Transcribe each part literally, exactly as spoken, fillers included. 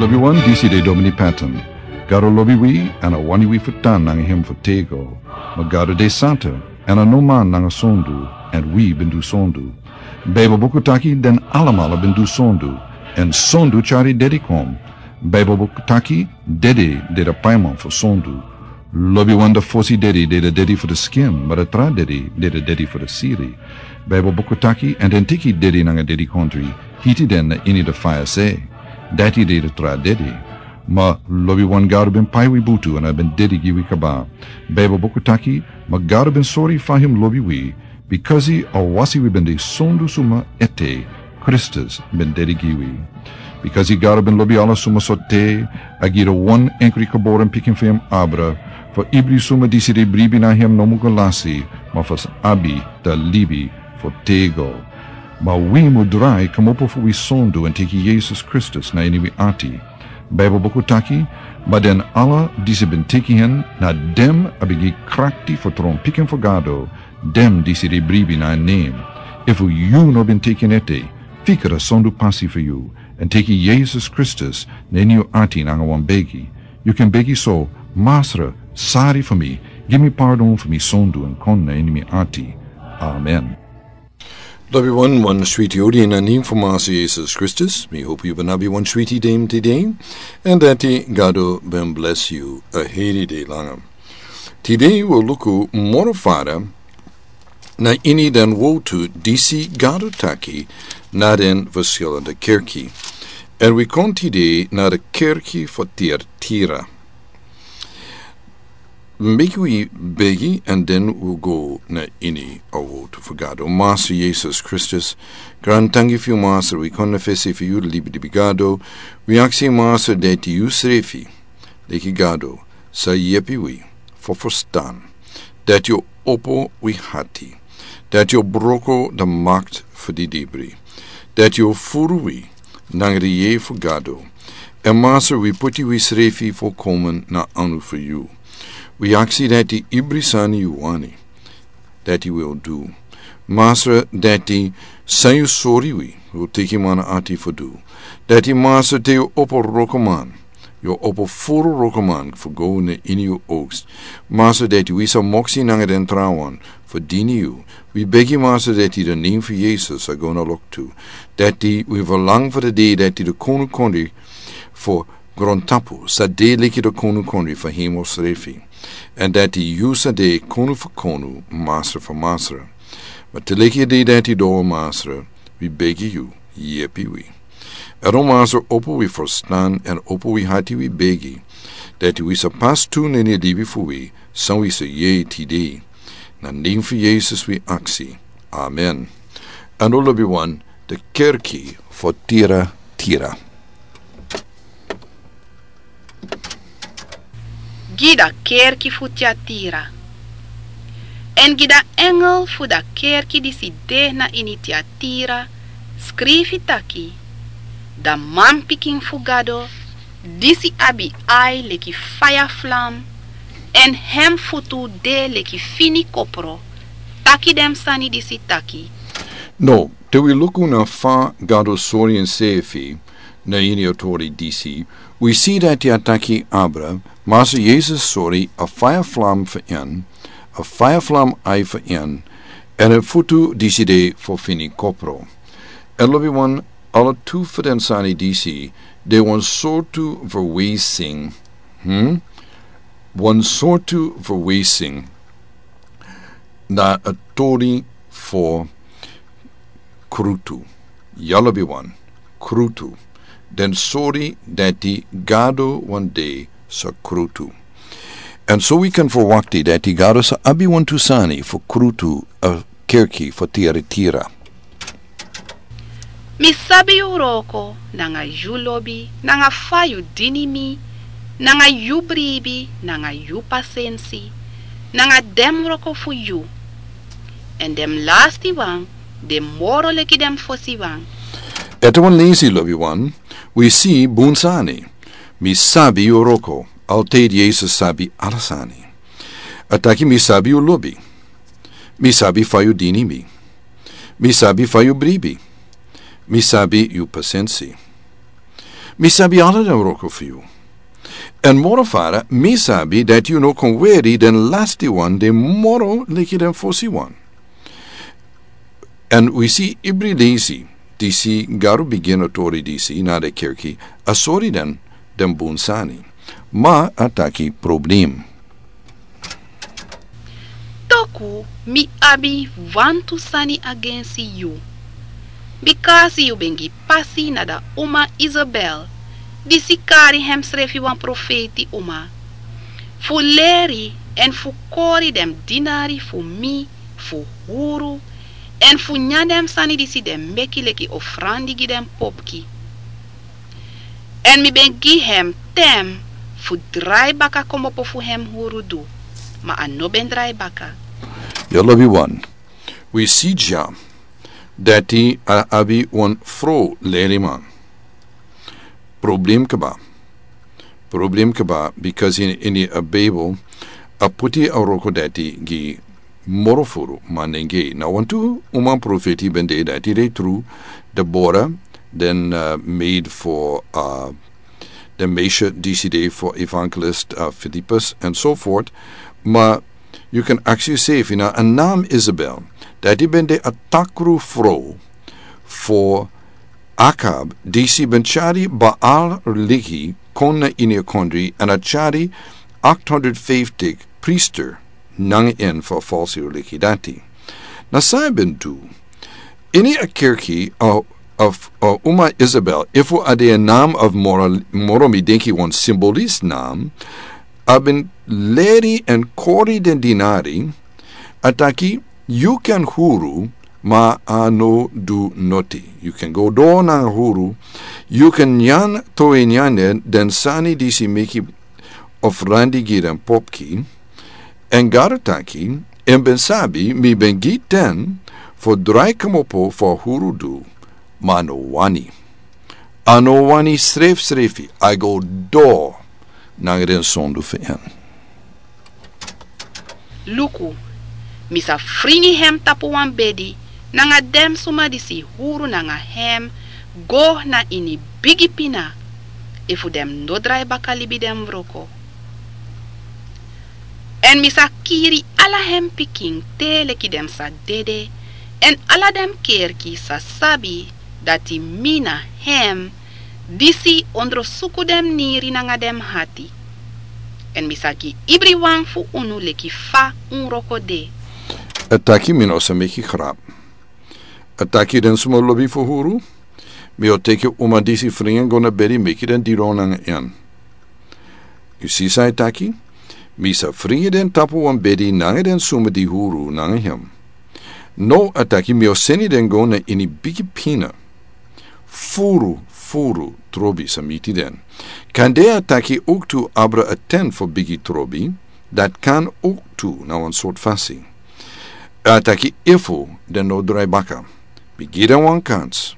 Wi wan disi de Domini Patton. Gado lobi wi, èn a wani wi fu tan nanga hem fu tego. Ma Gado de santa, èn a no man nanga sondu, èn wi ben du sondu. Baibel buku taki den alamala ben du sondu, èn sondu tyari dedi kon. Baibel buku taki dedi de de paiman fu sondu. Lobiwan de fosi dedi de de dedi fu de skin, ma de tra dedi de de dedi fu de siri. Baibel buku taki, èn den teki dedi nanga dedikondri, hiti den na ini de faya se. Dati de de tra dedi. Ma lobiwan Gado ben pai wi butu èn a ben dedi gi wi kaba. Baibel buku taki, ma Gado ben sori fa hem lobi wi, bikasi a wasi wi ben de sondu suma ete, Kristus ben dedi gi wi. Bikasi Gado ben lobi ala suma so te, a gi de wan enkri geboren pikin fu hem abra, fu ibri suma disi de bribi na hem no mu go lasi, ma fu abi de libi fu tego. Ma wi mu drai kmopo fu wi sondu èn teki Yesus Kristus na ini wi ati. Baibel buku taki, ma den ala disi ben teki hen, na dem a ben gi krakti fu tron pikin fu Gado, dem disi de bribi na en nen. Efu yu no ben teki en ete, fika de sondu pasi fu yu, èn teki Yesus Kristus na ini yu ati nanga wan begi. Yu kan begi so, Masra, sari fu mi, gi mi pardon fu mi sondu èn kon na ini mi ati. Amen. Lobiwan, wan switi odi na nen fu Masra Yesus Kristus. Mi hopu yu ben abi wan switi dei tide, èn dati Gado ben bless yu a heri dei langa. Tide wi o luku moro fara na ini den wotu disi Gado taki na den verschillende kerki. Èn wi kon tide na de kerki fu Tiatira. Meki wi begi èn den wi go na ini a wotu fu Gado. Masra Yesus Kristus, grantangi fu yu Masra, wi kon na fesi fu yu libi libi Gado. Wi aksi Masra dati yu srefi, leki Gado, sa yepi wi fu ferstan dati yu opo wi hati, dati yu broko de makti fu didibri, dati yu furu wi nanga de yeye fu Gado. Èn Masra, wi puti wi srefi fu komen na anu fu yu. Wi aksi dati ibri sani yu wani dati wi o du. Masra, dati san yu sori wi, wi o teki man ati fu du. Dati Masra, te yu opo wrokoman, yu o opo furu wrokoman fu go na ini yu oks. Masra, dati wi sa moksi nanga den trawan fu dini yu. Wi begi Masra dati de nen fu Yesus a go na loktu. Dati wi verlang fu de dei dati de konu kondre fu grontapu sa de leki de konu kondre fu hemel srefi. Èn dati yu sa de konu fu konu, Masra fu masra. Ma te leki a dei dati doro Masra, wi begi yu, yepi wi. Èn o Masra, opo wi ferstan èn opo wi hati, wi begi dati wi sa pas tu na ini a libi fu wi san wi sa yere tide. Na nen fu Yesus wi aksi. Amen. Èn o lobiwan, de kerki fu Tiatira. Gi da kerki fu Tiatira. Èn gi da engel fu da kerki disi de na ini Tiatira skrifi taki: Da manpikin fu Gado, disi abi ai leki faya flam, èn hem futu de leki fini kopro, taki den sani disi taki: No, te wi luku na fa Gado sori enseefi na ini a tori disi, wi si dati a taki abra, Masra Yesus sori a faya flam fu en, a faya flam ai fu en, èn a futu disi de fu fini kopro. Èn lobiwan, ala tu fu den sani disi de wan sortu verwijzing, hm? Wan sortu verwijzing na a tori fu krutu. Ya lobiwan, krutu. Den sori dati Gado wan dei sa krutu. Èn so wi kan ferwakti dati Gado sa abi wantu sani fu krutu a kerki fu Tiatira. Mi sabi yu wroko, nanga yu lobi, nanga fa yu dini mi, nanga yu bribi, nanga yu pasensi, nanga den wroko fu yu. Èn den lastiwan de moro leki den fosiwan. Ete wan leisi, lobiwan, wi si bun sani. Mi sabi yu wroko, altijd Yesus sabi ala sani. A taki mi sabi yu lobi. Mi sabi fa yu dini mi. Mi sabi fa yu bribi. Mi sabi yu pasensi. Mi sabi ala den wroko fu yu. Èn moro fara, mi sabi dati yu no kon weri den lasti wan de moro leki den fosi wan. Èn wi si ibri leisi disi Gado bigin a tori disi na den kerki, a sori den den bun sani. Ma a taki problem. Toku mi abi wantu sani agensi yu. Bikasi yu ben gi pasi na da uma Isabel, disi kari hemsrefi wan profeti uma, fu leri èn fu kori den dinari fu mi fu huru, èn fu nyan den sani disi den meki leki ofrandi gi den popki. Èn mi ben gi hem tem fu drai baka komopo fu hem huru du, ma a no ben drai baka. Yu lobi wan. Wi si dya dati a abi wan frow leriman. Problem kaba. Problem kaba, bikasi ini a Bijbel a puti a wroko dati gi moro furu manengei. Na wantu uman profeti ben de dati de tru, Debora, den maid for den meisje disi de for evangelist Filippus and so forth. Ma yu kan aksi yu sefi, na a nam Isabel, dati ben de a takru frow for Akab, disi ben tyari Baal religi kon na ini a kondri, èn a tyari acht honderd vijftig priester nanga en fu a falsi religi dati. Na san a ben du? Ini a kerki a uma Isabel, efu a de a nam of moro mi denki wan simbolis nam, a ben leri èn kori den dinari, a taki, yu kan huru, ma a no du noti. Yu kan go doro nanga huru, yu kan nyan towe nyan den sani disi meki ofrandi gi den popki. Èn Gado taki, en ben sabi mi ben gi ten fu drai komopo fu a huru du, ma a no wani. A no wani srefsrefi, a go doro nanga den sondu fu en. Luku, mi sa fringi hem tapu wan bedi nanga den suma disi huru nanga hem go na ini bigi pina, efu den no drai baka libi den wroko. Èn mi sa kiri ala hem pikin te leki den sa dede, èn ala den kerki sa sabi dati mi na hem disi ondrosuku den niri nanga den hati. Èn mi sa gi ibriwan fu unu leki fa un wroko de. A taki mi no sa meki grap. A taki den suma lobi fu huru, mi o teki uma disi fringi go na bedi meki den didon nanga en. Yu si san a taki? Mi sa fringi den tapu wan bedi nanga den suma di huru nanga hem. No, a taki mi o seni den go na ini bigi pina. Furu furu trobi sa miti den. Kande a taki owktu abra a ten fu bigi trobi, dati kan owktu na wan sortu fasi. A taki efu den no drai baka, mi gi den wan kans.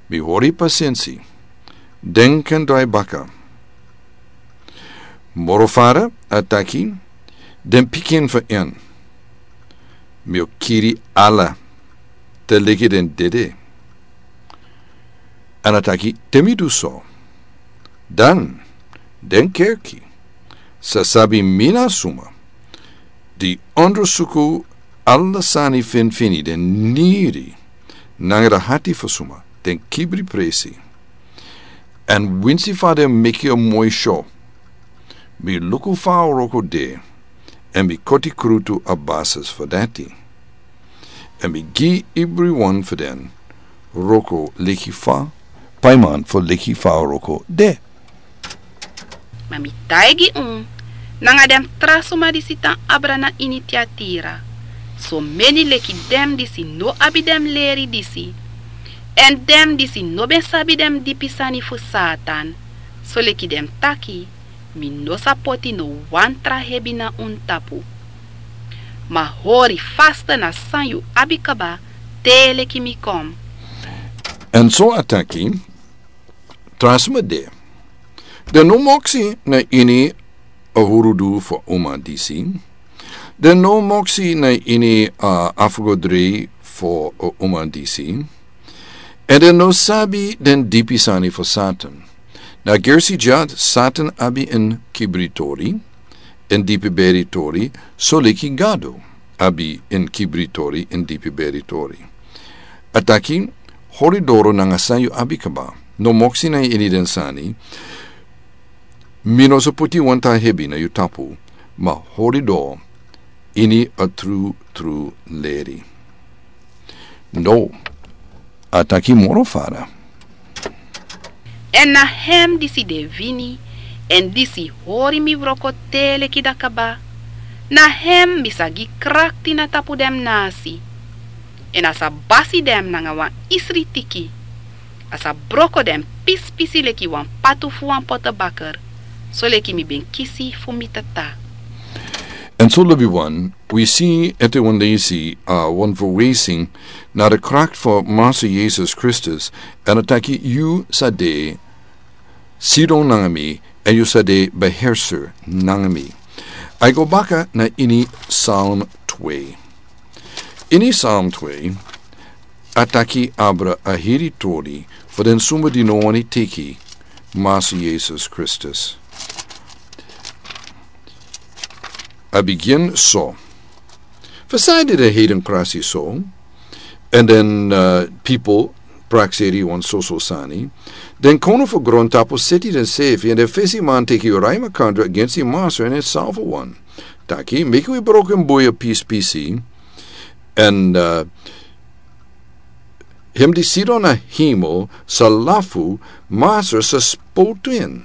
Mi hori pasensi. Den kan drai baka. Moro fara a taki, den pikin fu en, mi o kiri ala te leki den dede. Èn a taki te mi du so, dan den kerki sa sabi mi na suma di ondrosuku ala sani finfini den niri nanga den hati fu suma den kibri presi. Èn winsi fa den meki a moi syo, mi luku fa a wroko de, èn mi koti krutu a basis fu dati. Èn mi gi ibriwan fu den wroko leki fa paiman fu leki fa a wroko de. Ma mi taigi un, nanga den tra suma disi tan abra na ini Tiatira, someni leki den disi no abi den leri disi, èn den disi no ben sabi den dipi sani fu Satan, soleki den taki, mi no sa poti no wan tra hebi na un tapu. Ma hori fasta na san yu abi kaba te leki mi kon. Èn so a taki, tra sma de. Den no moksi na ini a hurudu fu a uma disi. Den no moksi na ini a afgodri fu a uma disi. Èn den no sabi den dipi sani fu Satan. A gersi dya, Satan abi en kibritori, en dipi beri tori, soleki Gado abi en kibritori, en dipi beri tori. A taki, hori doro nanga san yu abi kaba, no moksi na ini den sani, mi no sa poti wan tra hebi na yu tapu, ma hori doro ini a tru tru leri. No, a taki moro fara. Èn na hem disi de wini, èn disi hori mi wroko te leki da kaba, na hem mi sa gi krakti na tapu den nasi, èn a sa basi den nanga wan isri tiki, a sa broko den pispisi leki wan patu fu wan potobaker, soleki mi ben kisi fu mi tata. Èn so lobi wan, wi si ete wan leisi, a wan verwesing na de krakti fu Massa Yesus Kristus, èn a taki yu sa de sidon nanga mi, èn yu sa de beherser nanga mi. A go baka na ini Psalm twee. Ini Psalm twee, a taki abra a heri tori fu den suma di no wani teki Massa Yesus Kristus. A bigin so. Fu san di den heiden krasi so, èn den, uh, pipel prakseri wan soso sani, den konu fu grontapu seti den sefi, èn den fesi man teki yu rai makandra agensi Massa èn en salfu wan. Taki, meki wi broko en bui a pispisi, èn, uh, hem di sidon na hemel sa lafu, Massa sa spotu en.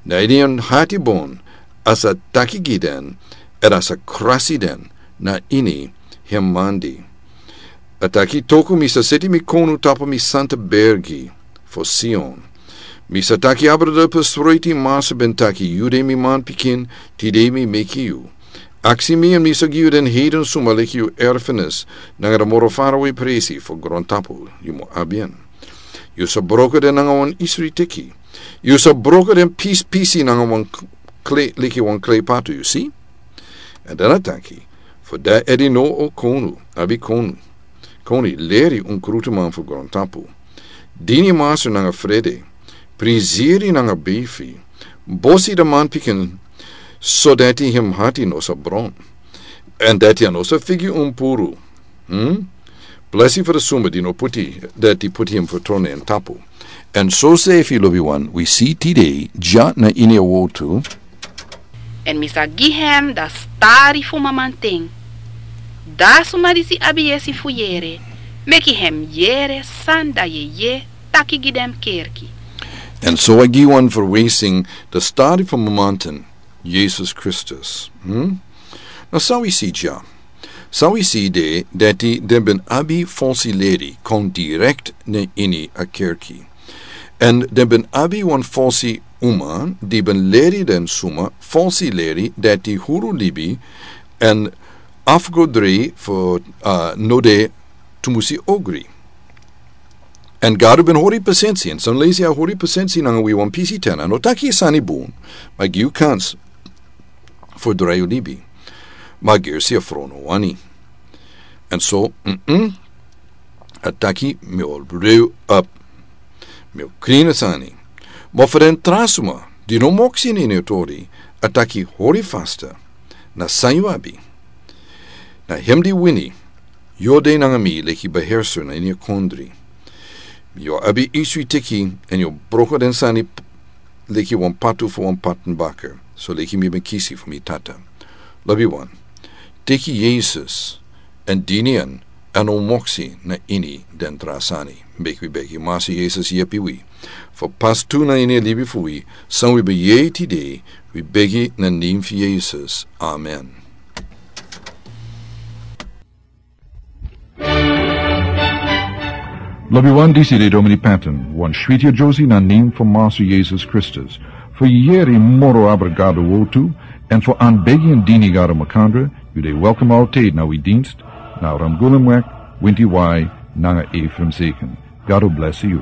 Na ini en hati bon, a sa taki gi den, èn a sa krasi den, na ini hem mandi. A taki toku mi sa seti mi konu tapu mi santa bergi, fu Sion. Mi sa taki abra de pe sreti Massa ben taki yu de mi manpikin, tide mi meki yu. Aksi mi èn mi sa gi yu den heiden suma leki yu erfenis, nanga de moro farawe presi fu grontapu, yu mu abi en. Yu sa broko den nanga wan isri teki. Yu sa broko den pispisi nanga wan k-, kle, leki wan klepatu, yu si? Èn dan a taki, fu dati edi no o konu, abi konu. Koni leri un krutuman fu grontapu. Dini Massa nanga frede, priziri nanga bifi, bosi de manpikin, so dati hem hati no sa bron. Èn dati a no sa figi un puru. Hmm? Blesi fu de suma di no poti, dati poti hem fu trone en tapu. Èn so sefi lobi wan, wi si tide, dya na ini a wotu. Èn mi sa gi hem da stari fu mamanten. Da suma disi abi yesi fu yere, meki hem yere san da yeye taki gi den kerki. Èn so a gi wan verwesing da stari fu mamanten, Yesus Kristus. Hmm? Na san wi si dya. San wi si de, dati den ben abi falsi leri kon direkt na ini a kerki. Èn den ben abi wan falsi uma, di ben leri den suma, falsi leri, dati huru libi, èn afgodri fu, uh, no de tumusi ogri. Èn Gado ben hori pasensi, èn san leisi a hori pasensi nanga wi wan pisi ten, a no taki sani bun, ma gi yu kans fu drai yu libi. Ma gersi a frono wani. Èn so, mm-mm, a taki mi o reu up. Mi o krin a sani. Ma fu den tra suma, di no moksi ini a tori, a taki hori fasta. Na san yu abi. Na hem di wini, yu o de nanga mi leki beherser na ini a kondri. Yu o abi isri teki, èn yu o broko den sani p-, leki wan patu fu wan patenbaker, so leki mi ben kisi fu mi tata. Lobi wan. Teki Yesus, èn dini en, èn no moksi na ini den tra sani. Meki wi begi Massa Yesus yepi wi. Fu pas tu na ini a libi fu wi, san wi ben yere tide, wi begi na nen fu Yesus. Amen. Lobi wan, disi de Domini Patton, wan switi a Josie na nen fu Massa Yesus Kristus. Fu yere moro abra Gado wotu, èn fu anbegi èn dini Gado makandra, yu de welkom altijd na wi dienst, na Ramgulumweg, winti wai, nanga Ephraim Zeken. Gado blesi yu.